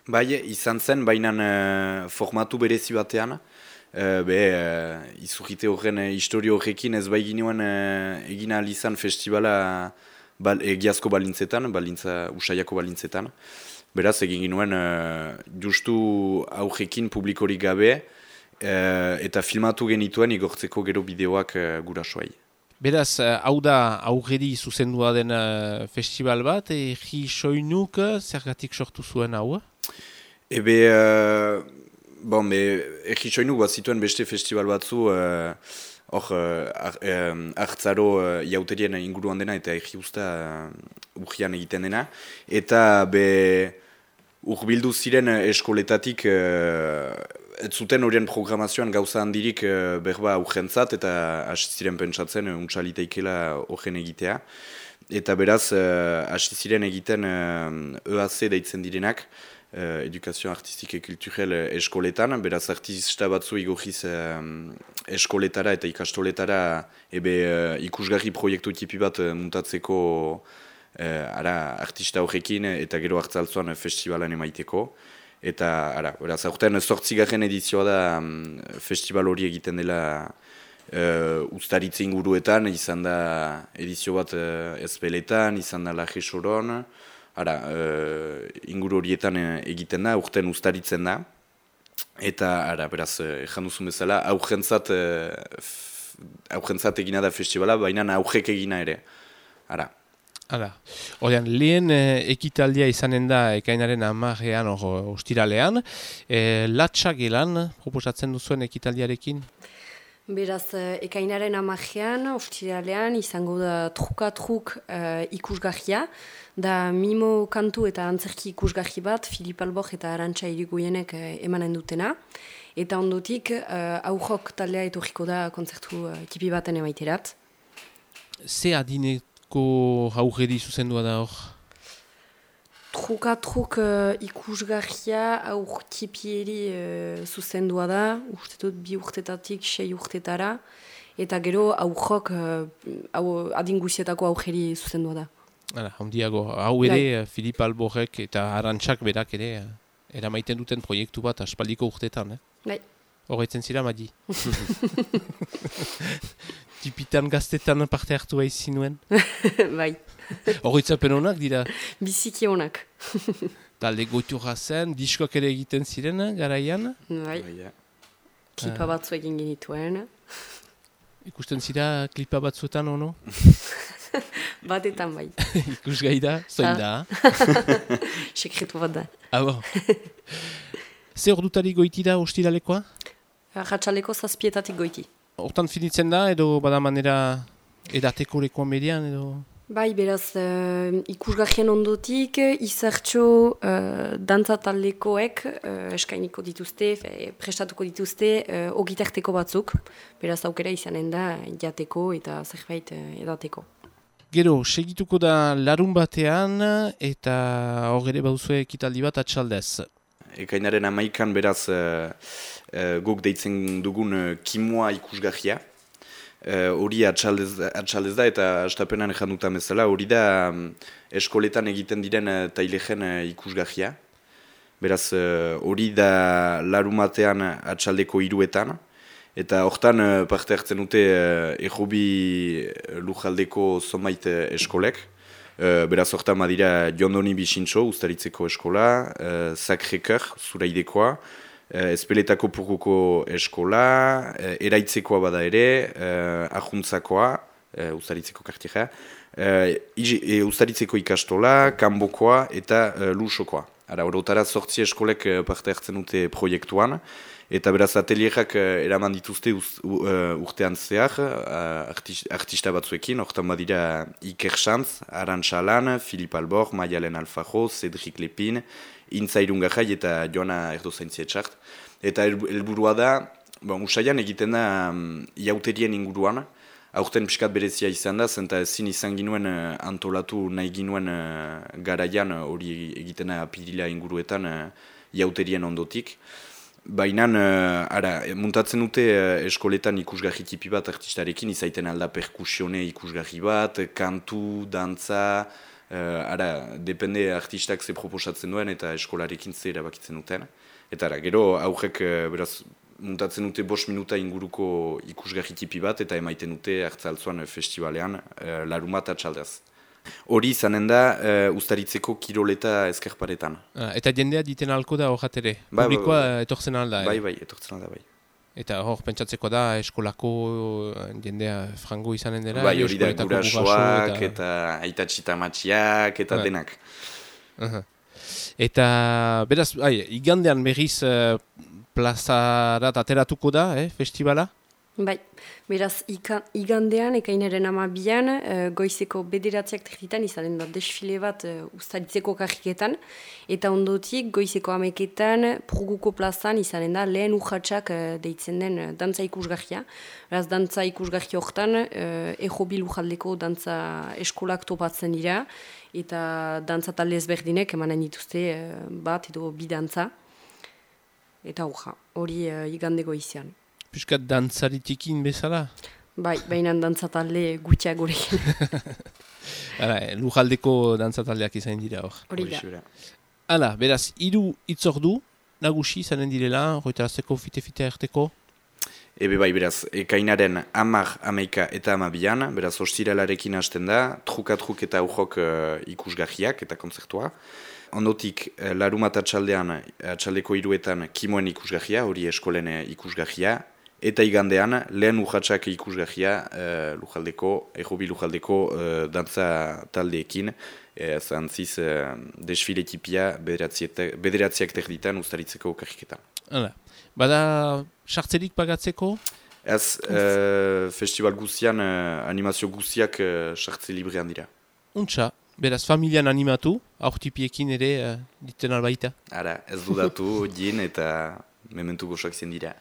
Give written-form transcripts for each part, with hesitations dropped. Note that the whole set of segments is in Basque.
Bai, izan zen, baina formatu berezi batean, izurrite horren historio horrekin ez bai ginuen egin ahal izan festivala egiazko balintzetan, usaiako balintzetan. Beraz, egin ginuen justu aurrekin publikorik gabe eta filmatu genituen igortzeko gero bideoak gurasoai. Beraz, hau da aurreri zuzendua den festival bat, Egi Soinuk zergatik sortu zuen hau? Egi Soinuk bat zituen beste festival batzu, hartzaro jauterien inguruan dena eta Egi Usta urgian egiten dena. Eta urbildu ziren eskoletatik ez zuten horien programazioan gauza handirik berba urgentzat eta hasi ziren pentsatzen untsaliteikela horren egitea. Eta beraz, hasi ziren egiten EAC deitzen direnak, Edukazio Artistike Kulturel eskoletan, beraz artista batzu igorriz eskoletara eta ikastoletara ikusgarri proiektu tipi bat muntatzeko artista horrekin eta gero hartzaltzoan festivalan emaiteko. Eta, beraz, aurten 8. edizioa da festival hori egiten dela Uztaritze inguruetan, izan da edizio bat Ezpeletan, izan da Laje Soron, inguru horietan egiten da, urten Uztaritzen da. Eta, beraz, ejan duzun bezala, aurrentzat egina da festivala, baina aurrek egina ere. Horrean, lehen ekitaldia izanen da ekainaren 10ean ostiralean. Latxa gelan proposatzen duzuen ekitaldiarekin? Beraz, ekainaren 10ean ostiralean izango da truka-truk ikusgarria. Da mimo kantu eta antzerki ikusgarri bat, Filip Albor eta Arantxa Irigoyenek emanen dutena. Eta ondotik, aurrok taldea etorriko da kontzertu tipi baten emaiterat. Ze adineko aurreri zuzendua da hor? Truka-truk ikusgarria aur tipieri zuzendua da, uste dut 2 urtetatik 6 urtetara. Eta gero aurrok adinguzietako aurreri zuzendua da. Handiago, hau ere, Filip Alborek eta Arantxak berak ere eramaiten duten proiektu bat aspaldiko urtetan. Horretzen zira, Madi? Tipitan gaztetan parte hartu haizi nuen? Bai. Horretzapen honak dira? Biziki honak. Talde goiturra zen, diskoak ere egiten ziren, garaian? Bai. Klipa batzu egin genituen. Ikusten zira klipa batzuetan, ono? Batetan bai. Ikusgai da, zoin da? Sekretu bat da. Ze ordutari goiti da ostiralekoa? Ratxaleko 7:00 goiti. Hortan finitzen da, edo bada manera edateko lekoan median, edo? Bai, beraz, ikusgarrien ondotik, izartxo dantza taldekoek eskainiko dituzte, prestatuko dituzte, ogitarteko batzuk. Beraz, aukera izanen da jateko eta zerbait edateko. Gero, segituko da larun batean eta hor ere bauzue ekitaldi bat atxaldez. Ekainaren 11an beraz guk deitzen dugun kimua ikusgarria. Hori atxaldez da eta astapenan ejan dutan bezala, hori da eskoletan egiten diren tailegen ikusgarria. Beraz, hori da larun batean atxaldeko 3etan. Eta hortan parte hartzen dute errobi lujaldeko zonbait eskolek. Beraz hortan badira Jondoni Bixintxo, Uztaritzeko eskola, Sacré-Cœur, Zuraidekoa, Ezpeletako Purguko eskola, Eraitzekoa bada ere, Ajuntzakoa, Uztaritzeko kartiera, Uztaritzeko ikastola, Kanbokoa eta Lusokoa. Horotara 8 eskolek parte hartzen dute proiektuan. Eta beraz atelierak eraman dituzte urtean zehar, artista batzuekin, hortan badira Iker Xantz, Arantxa Lan, Filip Albor, Maialen Alfajo, Cedric Lepin, Intza Irungajai eta Joana Erdozaintzietxart. Eta helburua da, usaian egiten da jauterien inguruan, aurten pixkat berezia izan da, zenta ezin izan ginuen antolatu nahi ginuen garaian hori egiten da apirila inguruetan jauterien ondotik. Baina, muntatzen dute eskoletan ikusgarri tipi bat artistarekin, izaiten alda perkusione ikusgarri bat, kantu, dantza, Ara, depende artistak ze proposatzen duen eta eskolarekin ze erabakitzen duten. Eta ara, gero aurrek beraz muntatzen dute 5 minuta inguruko ikusgarri tipi bat eta emaiten dute Hartzaltzuan festivalean larumat atxaldez. Hori izanen da Uztaritzeko kiroleta ezkerparetan. Eta jendea diten alko da horretere? Publikoa etortzen alda? Bai, etortzen alda, bai. Eta hor, pentsatzeko da eskolako jendea frango izanen dela? Bai, hori da gurasoak eta aitatxita matxiak eta denak. Eta beraz, igandean berriz plazarat ateratuko da, festivala? Bai, beraz igandean, ekainaren 12an, goizeko 9:00 izanen da desfile bat Uztaritzeko karriketan, eta ondotik goizeko 11:00 Purguko plazan izanen da lehen urratsak deitzen den dantza ikusgarria. Beraz, dantza ikusgarri horretan, Ejobil Lujaldeko dantza eskolak topatzen dira, eta dantza talde ezberdinek emanen dituzte bat edo bi dantza. Eta hori igande goizean. Piskat dantzaritikin bezala? Bai, baina dantzatalde gutxiak gurekin. Lujaldeko dantzataldeak izan dira hor. Hori da. Hala, beraz, 3 itzordu nagusi izanen direla, horretarazteko fite-fite erteko? Ebe bai, beraz, ekainaren 10, 11 eta 12an, beraz, ostiralarekin hasten da, truk eta aujok ikusgarriak eta kontzertua. Ondotik, larumat atxaldeko 3etan kimoen ikusgarria, hori eskolen ikusgarria, eta igandean, lehen urratsak ikusgarria Ejobil Lujaldeko dantza taldeekin, zantziz desfile tipia bederatziak terditan Uztaritzeko karriketan. Bada, sartzerik pagatzeko? Ez, festival guztian, animazio guztiak sartze librean dira. Untxa, beraz, familian animatu, aurtipiekin ere diten albaita? Ara, ez dudatu, din eta mementu gozoak zen dira.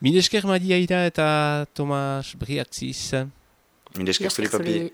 Milesker Madia Ira eta Tomas Briatziz. Milesker Felipe Papi.